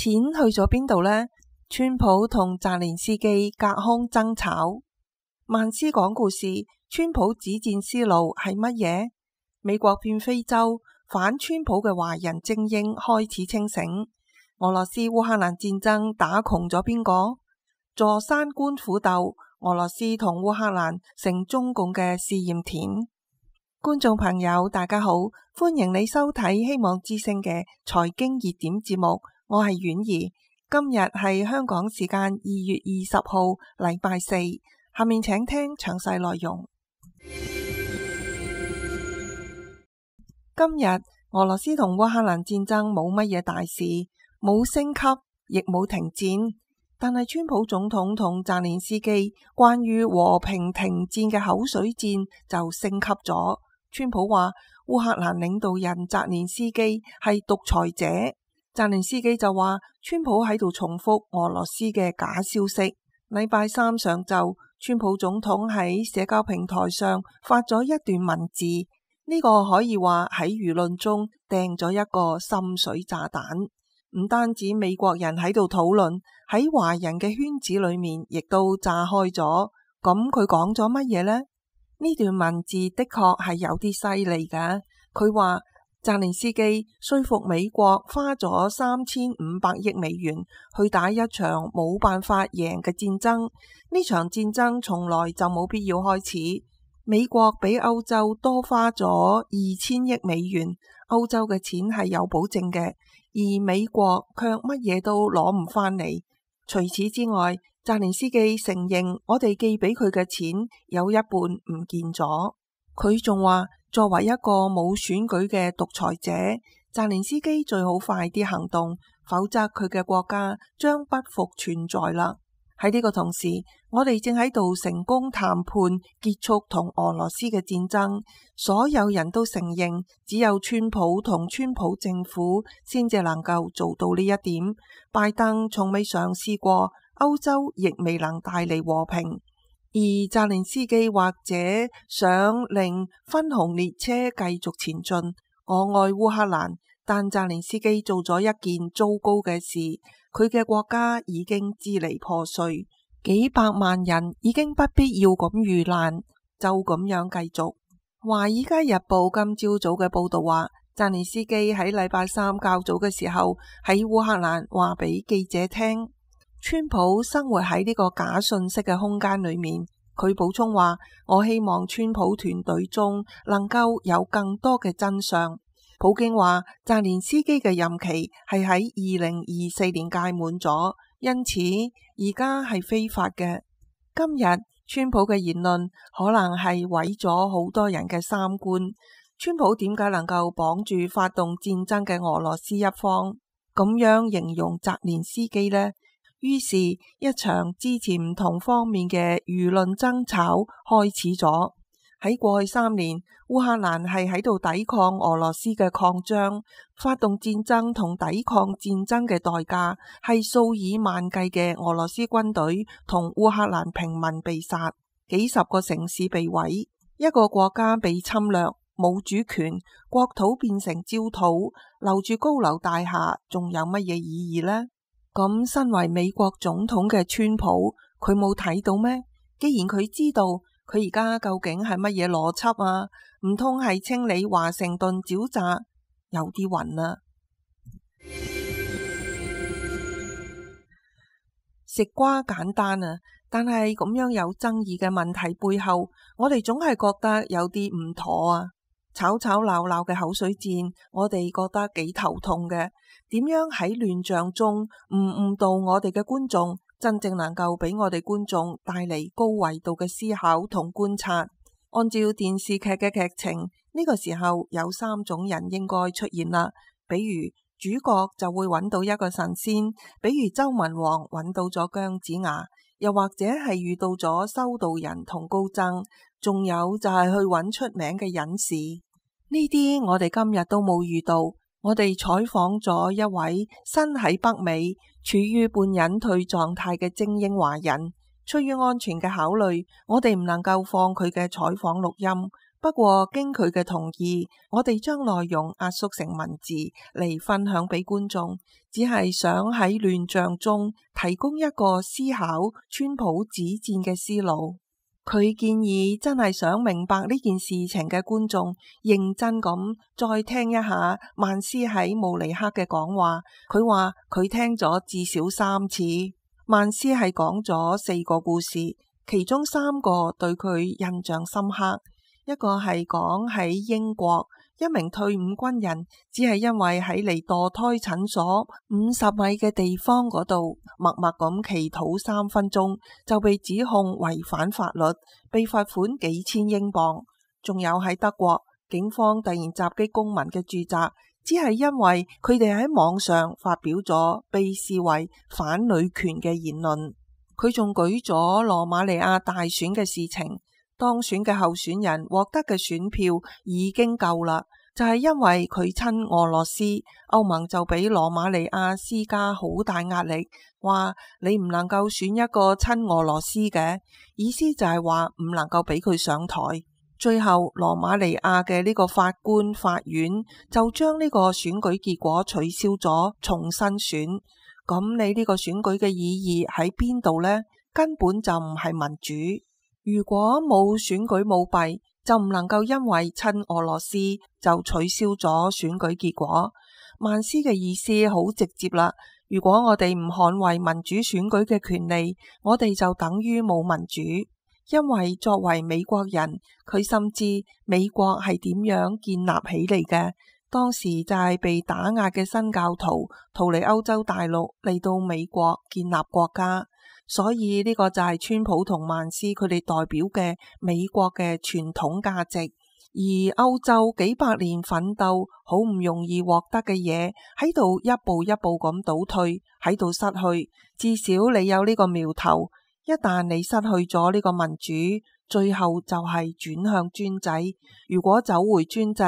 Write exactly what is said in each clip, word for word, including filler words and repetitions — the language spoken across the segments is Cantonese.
錢去咗邊度呢？川普同澤連斯基隔空爭吵。萬斯講故事，川普止戰思路係乜嘢？美國變非洲，反川普嘅華人精英開始清醒。俄羅斯烏克蘭戰爭打窮咗邊個？坐山觀虎鬥，俄羅斯同烏克蘭成中共嘅試驗田。觀眾朋友大家好，歡迎你收睇希望之聲嘅財經熱點節目，我係婉兒。今日係香港時間二月二十號禮拜四，下面請聽詳細內容。今日俄羅斯同烏克蘭戰爭冇乜嘢大事，冇升級，亦冇停戰，但係川普總統同澤連斯基關於和平停戰嘅口水戰就升級咗。川普話烏克蘭領導人澤連斯基係獨裁者，澤連斯基就話川普喺度重複俄羅斯嘅假消息。禮拜三上晝，川普總統喺社交平台上發咗一段文字，呢個可以話喺輿論中掟咗一個深水炸彈。唔單止美國人喺度討論，喺華人嘅圈子裏面亦都炸開咗。咁佢講咗乜嘢呢？呢段文字的確係有啲犀利㗎。佢話澤連斯基說服美國花咗三千五百億美元去打一場冇辦法贏嘅戰爭，呢場戰爭從來就冇必要開始。美國比歐洲多花咗二千億美元，歐洲嘅錢係有保證嘅，而美國卻乜嘢都攞唔返嚟。除此之外，澤連斯基承認我哋寄俾佢嘅錢有一半唔見咗。佢仲話作為一個冇選舉嘅獨裁者，澤連斯基最好快啲行動，否則佢嘅國家將不復存在啦。喺呢個同時，我哋正喺度成功談判結束同俄羅斯嘅戰爭，所有人都承認只有川普同川普政府先至能夠做到呢一點。拜登從未嘗試過，歐洲亦未能帶嚟和平，而澤連斯基或者想令分紅列車繼續前進。我愛烏克蘭，但澤連斯基做咗一件糟糕嘅事，佢嘅國家已經支離破碎，幾百萬人已經不必要咁遇難，就咁樣繼續。華爾街日報今朝早嘅報道話，澤連斯基喺禮拜三較早嘅時候喺烏克蘭話俾記者聽，川普生活喺呢個假信息嘅空間裏面。佢補充話，我希望川普團隊中能夠有更多嘅真相。普京話澤連斯基嘅任期係喺二零二四年屆滿咗，因此而家係非法嘅。今日川普嘅言論可能係毀咗好多人嘅三觀。川普點解能夠綁住發動戰爭嘅俄羅斯一方，咁樣形容澤連斯基呢？於是，一場支持唔同方面嘅輿論爭吵開始咗。喺過去三年，烏克蘭係喺度抵抗俄羅斯嘅擴張，發動戰爭同抵抗戰爭嘅代價係數以萬計嘅俄羅斯軍隊同烏克蘭平民被殺，幾十個城市被毀，一個國家被侵略，冇主權，國土變成焦土，留住高樓大廈，仲有乜嘢意義呢？咁身為美國總統嘅川普，佢冇睇到咩？既然佢知道，佢而家究竟係乜嘢邏輯啊？唔通係清理華盛頓沼澤？有啲暈啦。食瓜簡單啊，但係咁樣有爭議嘅問題背後，我哋總係覺得有啲唔妥啊。吵吵鬧鬧嘅口水戰，我哋覺得幾頭痛嘅。點樣喺亂象中唔誤導我哋嘅觀眾，真正能夠俾我哋觀眾帶嚟高維度嘅思考同觀察？按照電視劇嘅劇情，呢個時候有三種人應該出現啦。比如主角就會揾到一個神仙，比如周文王揾到咗姜子牙，又或者係遇到咗修道人同高僧，仲有就係去揾出名嘅隱士。呢啲我哋今日都冇遇到。我哋採訪咗一位身喺北美、處於半隱退狀態嘅精英華人，出於安全嘅考慮，我哋唔能夠放佢嘅採訪錄音。不過經佢嘅同意，我哋將內容壓縮成文字嚟分享俾觀眾，只係想喺亂象中提供一個思考川普止戰嘅思路。佢建議真係想明白呢件事情嘅觀眾，認真咁再聽一下曼斯喺慕尼黑嘅講話。佢話佢聽咗至少三次。曼斯係講咗四個故事，其中三個對佢印象深刻。一個係講喺英國，一名退伍軍人只係因為喺離墮胎診所五十米嘅地方嗰度默默咁祈禱三分鐘，就被指控違反法律，被罰款幾千英鎊。仲有喺德國，警方突然襲擊公民嘅住宅，只係因為佢哋喺網上發表咗被視為反女權嘅言論。佢仲舉咗羅馬尼亞大選嘅事情。當選嘅候選人獲得嘅選票已經夠啦，就係因為佢親俄羅斯，歐盟就俾羅馬尼亞施加好大壓力，話你唔能夠選一個親俄羅斯嘅，意思就係話唔能夠俾佢上台。最後羅馬尼亞嘅呢個法官法院就將呢個選舉結果取消咗，重新選。咁你呢個選舉嘅意義喺邊度呢？根本就唔係民主。如果冇選舉舞弊，就唔能夠因為親俄羅斯就取消咗選舉結果。曼斯嘅意思好直接啦，如果我哋唔捍衛民主選舉嘅權利，我哋就等於冇民主。因為作為美國人，佢深知美國係點樣建立起嚟嘅。當時就係被打壓嘅新教徒逃離歐洲大陸嚟到美國建立國家。所以呢個就係川普同曼斯佢哋代表嘅美國嘅傳統價值，而歐洲幾百年奮鬥好唔容易獲得嘅嘢，喺度一步一步咁倒退，喺度失去。至少你有呢個苗頭，一旦你失去咗呢個民主，最後就係轉向專制。如果走回專制，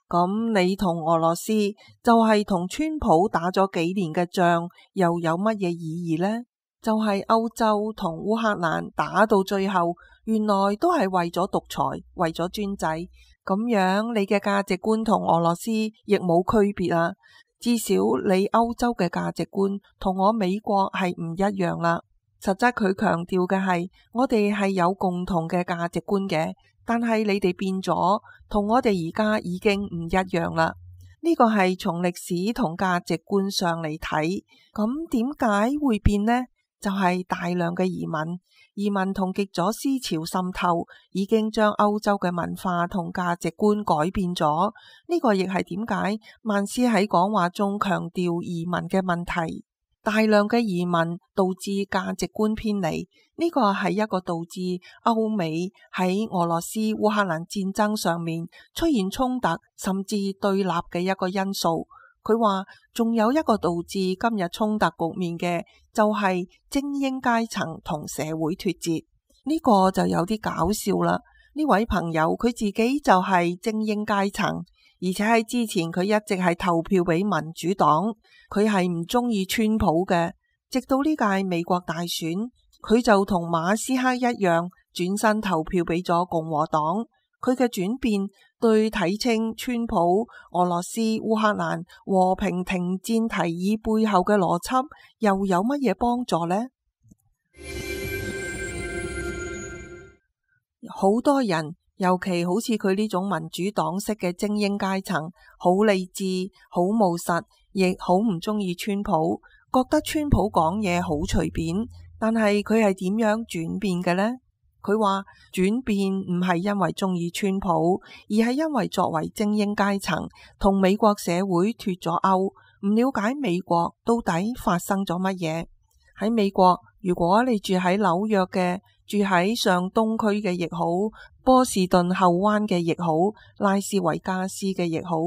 咁你同俄羅斯就係同川普打咗幾年嘅仗，又有乜嘢意義呢？就係歐洲同烏克蘭打到最後，原來都係為咗獨裁，為咗專制。咁樣你嘅價值觀同俄羅斯亦冇區別啊。至少你歐洲嘅價值觀同我美國係唔一樣啦。實質佢強調嘅係，我哋係有共同嘅價值觀嘅，但係你哋變咗，同我哋而家已經唔一樣啦。呢個係從歷史同價值觀上嚟睇，咁點解會變呢？就係大量嘅移民，移民同極左思潮滲透，已經將歐洲嘅文化同價值觀改變咗。呢個亦係點解曼斯喺講話中強調移民嘅問題。大量嘅移民導致價值觀偏離，呢個係一個導致歐美喺俄羅斯烏克蘭戰爭上面出現衝突甚至對立嘅一個因素。佢話仲有一個導致今日衝突局面嘅，就係精英階層同社會脫節。呢個就有啲搞笑啦。呢位朋友佢自己就係精英階層，而且喺之前佢一直係投票俾民主黨，佢係唔中意川普嘅。直到呢屆美國大選，佢就同馬斯克一樣轉身投票俾咗共和黨。佢嘅轉變對睇清川普、俄羅斯、烏克蘭和平停戰提議背後嘅邏輯又有乜嘢幫助呢？好多人，尤其好似佢呢種民主黨式嘅精英階層，好理智、好務實，亦好唔中意川普，覺得川普講嘢好隨便。但係佢係點樣轉變嘅呢？佢話轉變唔係因為中意川普，而係因為作為精英階層同美國社會脫咗鈎，唔了解美國到底發生咗乜嘢。喺美國，如果你住喺紐約嘅，住喺上東區嘅亦好，波士頓後灣嘅亦好，拉斯維加斯嘅亦好，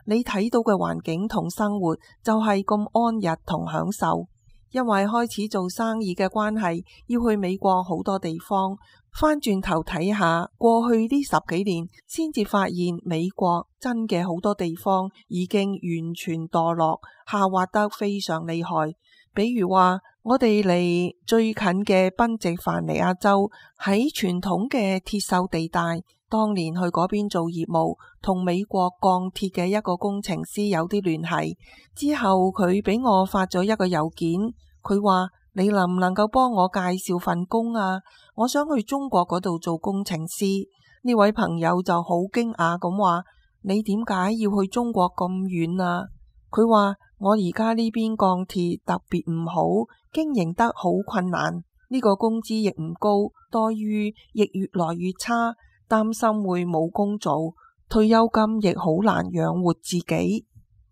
你睇到嘅環境同生活就係咁安逸同享受。因為開始做生意嘅關係，要去美國好多地方，翻轉頭睇下過去呢十幾年，先至發現美國真嘅好多地方已經完全墮落，下滑得非常厲害。比如話我哋離最近嘅賓夕凡尼亞州，喺傳統嘅鐵鏽地帶，當年去嗰邊做業務，同美國鋼鐵嘅一個工程師有啲聯繫。之後佢俾我發咗一個郵件，佢話你能唔能夠幫我介紹份工啊？我想去中國嗰度做工程師。呢位朋友就好驚訝咁話：你點解要去中國咁遠啊？佢話我而家呢邊鋼鐵特別唔好，經營得好困難，呢個工資亦唔高，待遇亦越來越差。擔心會冇工做，退休金亦好難養活自己。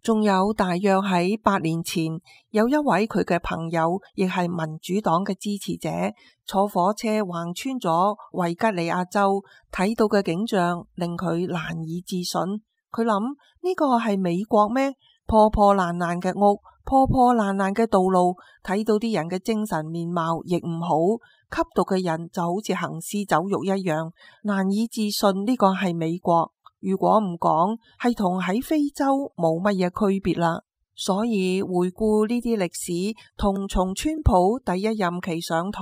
仲有大約喺八年前，有一位佢嘅朋友，亦係民主黨嘅支持者，坐火車橫穿咗維吉尼亞州，睇到嘅景象令佢難以置信。佢諗呢個係美國咩？破破爛爛嘅屋，破破爛爛嘅道路，睇到啲人嘅精神面貌亦唔好。吸毒嘅人就好似行屍走肉一樣，難以置信呢個係美國。如果唔講，係同喺非洲冇乜嘢區別啦。所以回顧呢啲歷史，同從川普第一任期上台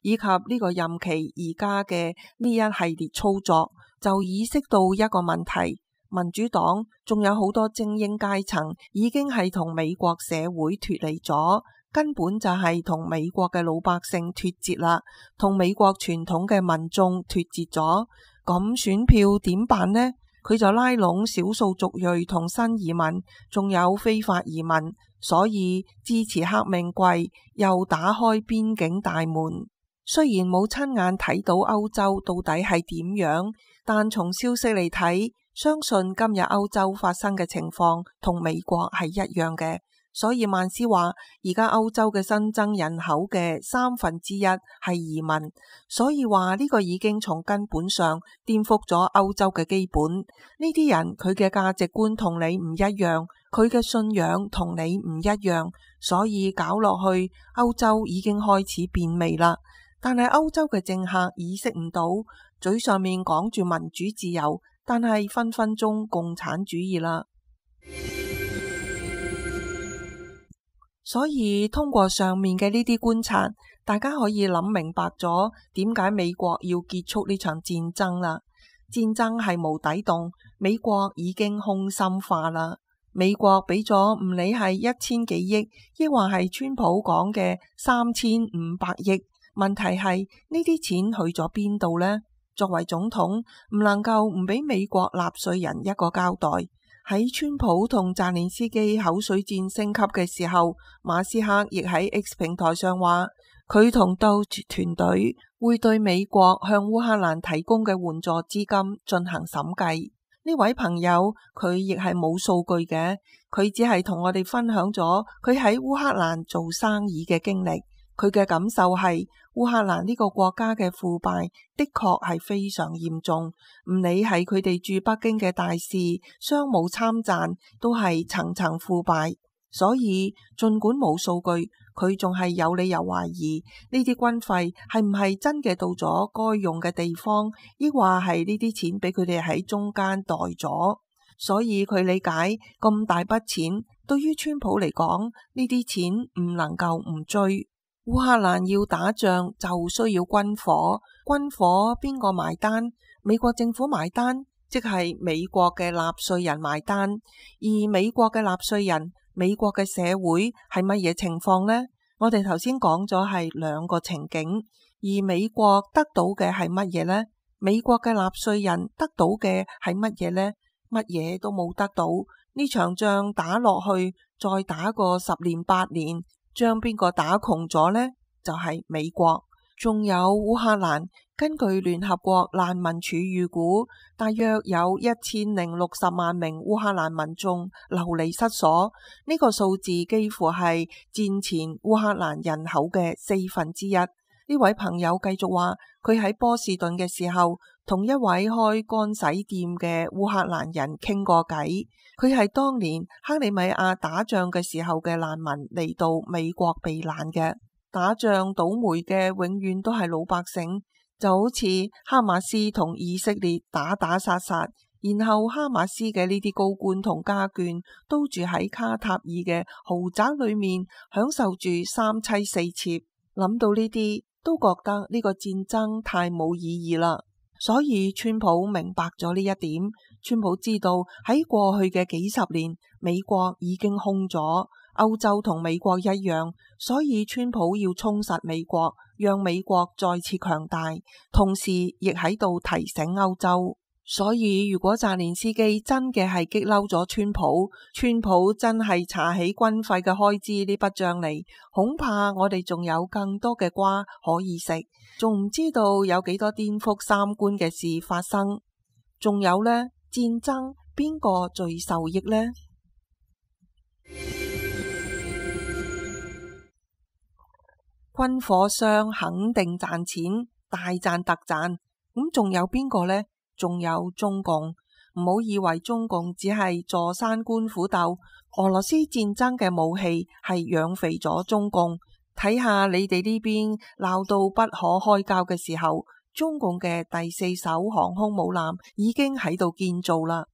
以及呢個任期而家嘅呢一系列操作，就意識到一個問題：民主黨仲有好多精英階層已經係同美國社會脫離咗。根本就係同美國嘅老百姓脫節啦，同美國傳統嘅民眾脫節咗。咁選票點辦呢？佢就拉攏少數族裔同新移民，仲有非法移民，所以支持黑命貴，又打開邊境大門。雖然冇親眼睇到歐洲到底係點樣，但從消息嚟睇，相信今日歐洲發生嘅情況同美國係一樣嘅。所以曼斯話，而家歐洲嘅新增人口嘅三分之一係移民，所以話呢個已經從根本上顛覆咗歐洲嘅基本。呢啲人佢嘅價值觀同你唔一樣，佢嘅信仰同你唔一樣，所以搞落去，歐洲已經開始變味啦。但係歐洲嘅政客意識唔到，嘴上面講住民主自由，但係分分鐘共產主義啦。所以通過上面嘅呢啲觀察，大家可以諗明白咗點解美國要結束呢場戰爭啦。戰爭係無底洞，美國已經空心化啦。美國俾咗唔理係一千幾億，抑或係川普講嘅三千五百億，問題係呢啲錢去咗邊度呢？作為總統，唔能夠唔俾美國納稅人一個交代。喺川普同澤連斯基口水戰升級嘅時候，馬斯克亦喺 X 平台上話，佢同 Doge 團隊會對美國向烏克蘭提供嘅援助資金進行審計。呢位朋友佢亦係冇數據嘅，佢只係同我哋分享咗佢喺烏克蘭做生意嘅經歷。佢嘅感受係烏克蘭呢個國家嘅腐敗的確係非常嚴重，唔理係佢哋駐北京嘅大使、商務參贊，都係層層腐敗。所以儘管冇數據，佢仲係有理由懷疑呢啲軍費係唔係真嘅到咗該用嘅地方，抑或係呢啲錢俾佢哋喺中間袋咗。所以佢理解咁大筆錢對於川普嚟講，呢啲錢唔能夠唔追。烏克蘭要打仗就需要軍火，軍火邊個埋單？美國政府埋單，即係美國嘅納稅人埋單。而美國嘅納稅人，美國嘅社會係乜嘢情況呢？我哋頭先講咗係兩個情景，而美國得到嘅係乜嘢呢？美國嘅納稅人得到嘅係乜嘢呢？乜嘢都冇得到。呢場仗打落去，再打個十年八年。將邊個打窮咗呢？就係美國。仲有烏克蘭，根據聯合國難民署預估，大約有一千零六十萬名烏克蘭民眾流離失所。呢個數字幾乎係戰前烏克蘭人口嘅四分之一。呢位朋友繼續話，佢喺波士頓嘅時候，同一位開乾洗店嘅烏克蘭人傾過偈。佢係當年克里米亞打仗嘅時候嘅難民嚟到美國避難嘅。打仗倒霉嘅永遠都係老百姓，就好似哈馬斯同以色列打打殺殺，然後哈馬斯嘅呢啲高官同家眷都住喺卡塔爾嘅豪宅裏面，享受住三妻四妾。諗到呢啲，都覺得呢個戰爭太冇意義啦。所以川普明白咗呢一點。川普知道喺過去嘅幾十年，美國已經空咗，歐洲同美國一樣，所以川普要充實美國，讓美國再次強大，同時亦喺度提醒歐洲。所以如果澤連斯基真嘅係激嬲咗川普，川普真係查起軍費嘅開支呢筆賬嚟，恐怕我哋仲有更多嘅瓜可以食，仲唔知道有幾多顛覆三觀嘅事發生。仲有呢，戰爭邊個最受益呢？軍火商肯定賺錢，大賺特賺。咁仲有邊個呢？仲有中共。唔好以為中共只係坐山觀虎鬥，俄羅斯戰爭嘅武器係養肥咗中共。睇下你哋呢邊鬧到不可開交嘅時候，中共嘅第四艘航空母艦已經喺度建造啦。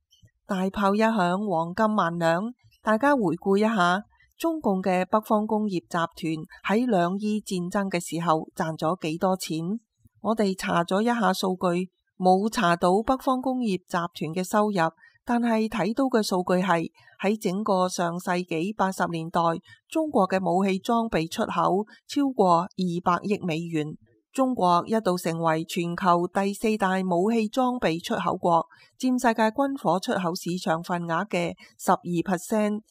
大炮一響，黃金萬兩。大家回顧一下，中共嘅北方工業集團喺兩伊戰爭嘅時候賺咗幾多錢？我哋查咗一下數據，冇查到北方工業集團嘅收入，但係睇到嘅數據係喺整個上世紀八十年代，中國嘅武器裝備出口超過二百億美元。中國一度成為全球第四大武器裝備出口國，佔世界軍火出口市場份額嘅十二 percent。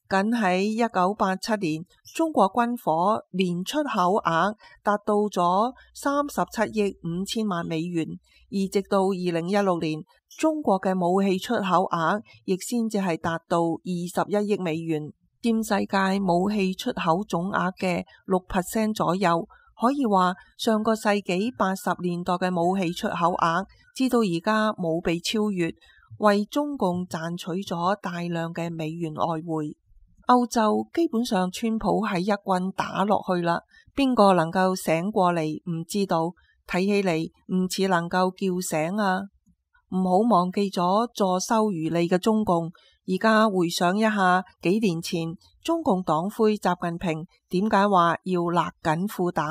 僅喺一九八七年，中國軍火年出口額達到咗三十七億五千萬美元，而直到二零一六年，中國嘅武器出口額亦先至係達到二十一億美元，佔世界武器出口總額嘅六 percent 左右。可以話上個世紀八十年代嘅武器出口額，至到而家冇被超越，為中共賺取咗大量嘅美元外匯。歐洲基本上川普係一棍打落去啦，邊個能夠醒過嚟唔知道，睇起嚟唔似能夠叫醒啊！唔好忘記咗坐收漁利嘅中共。而家回想一下幾年前，中共黨魁習近平點解話要勒緊褲帶，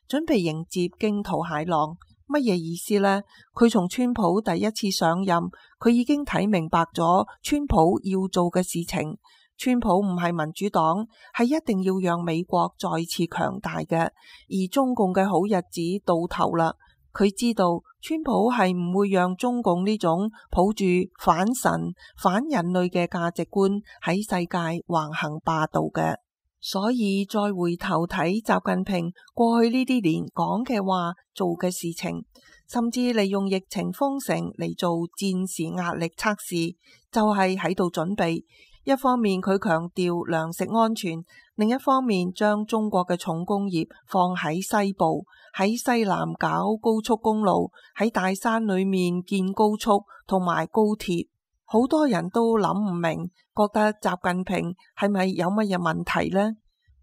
準備迎接驚濤駭浪？乜嘢意思呢？佢從川普第一次上任，佢已經睇明白咗川普要做嘅事情。川普唔係民主黨，係一定要讓美國再次強大嘅，而中共嘅好日子到頭啦。佢知道川普係唔會讓中共呢種抱住反神、反人類嘅價值觀喺世界橫行霸道嘅。所以再回頭睇習近平過去呢啲年講嘅話、做嘅事情，甚至利用疫情封城嚟做戰時壓力測試，就係喺度準備。一方面佢強調糧食安全，另一方面將中國嘅重工業放喺西部，喺西南搞高速公路，喺大山裏面建高速同埋高鐵。好多人都諗唔明，覺得習近平係咪有乜嘢問題呢？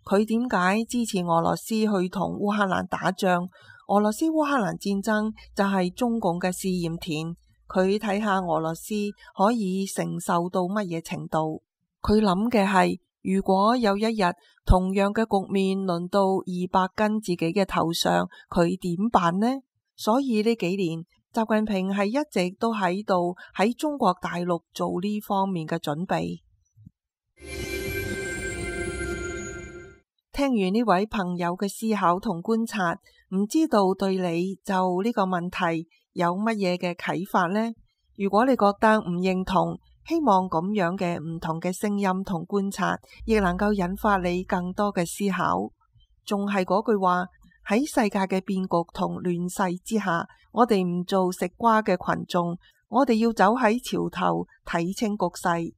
佢點解支持俄羅斯去同烏克蘭打仗？俄羅斯烏克蘭戰爭就係中共嘅試驗田，佢睇下俄羅斯可以承受到乜嘢程度。佢諗嘅係，如果有一日同樣嘅局面輪到二百斤自己嘅頭上，佢點辦呢？所以呢幾年，習近平係一直都喺度喺中國大陸做呢方面嘅準備。聽完呢位朋友嘅思考同觀察，唔知道對你就呢個問題有乜嘢嘅啟發呢？如果你覺得唔認同，希望咁樣嘅唔同嘅聲音同觀察，亦能夠引發你更多嘅思考。仲係嗰句話，喺世界嘅變局同亂世之下，我哋唔做食瓜嘅群眾，我哋要走喺潮頭睇清局勢。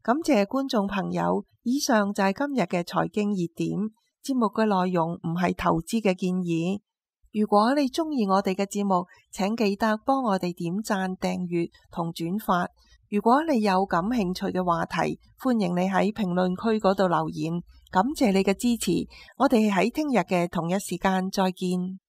感謝觀眾朋友，以上就係今日嘅財經熱點。節目嘅內容唔係投資嘅建議。如果你中意我哋嘅節目，請記得幫我哋點讚、訂閱同轉發。如果你有感興趣嘅話題，歡迎你喺評論區嗰度留言。感謝你嘅支持，我哋喺聽日嘅同一時間再見。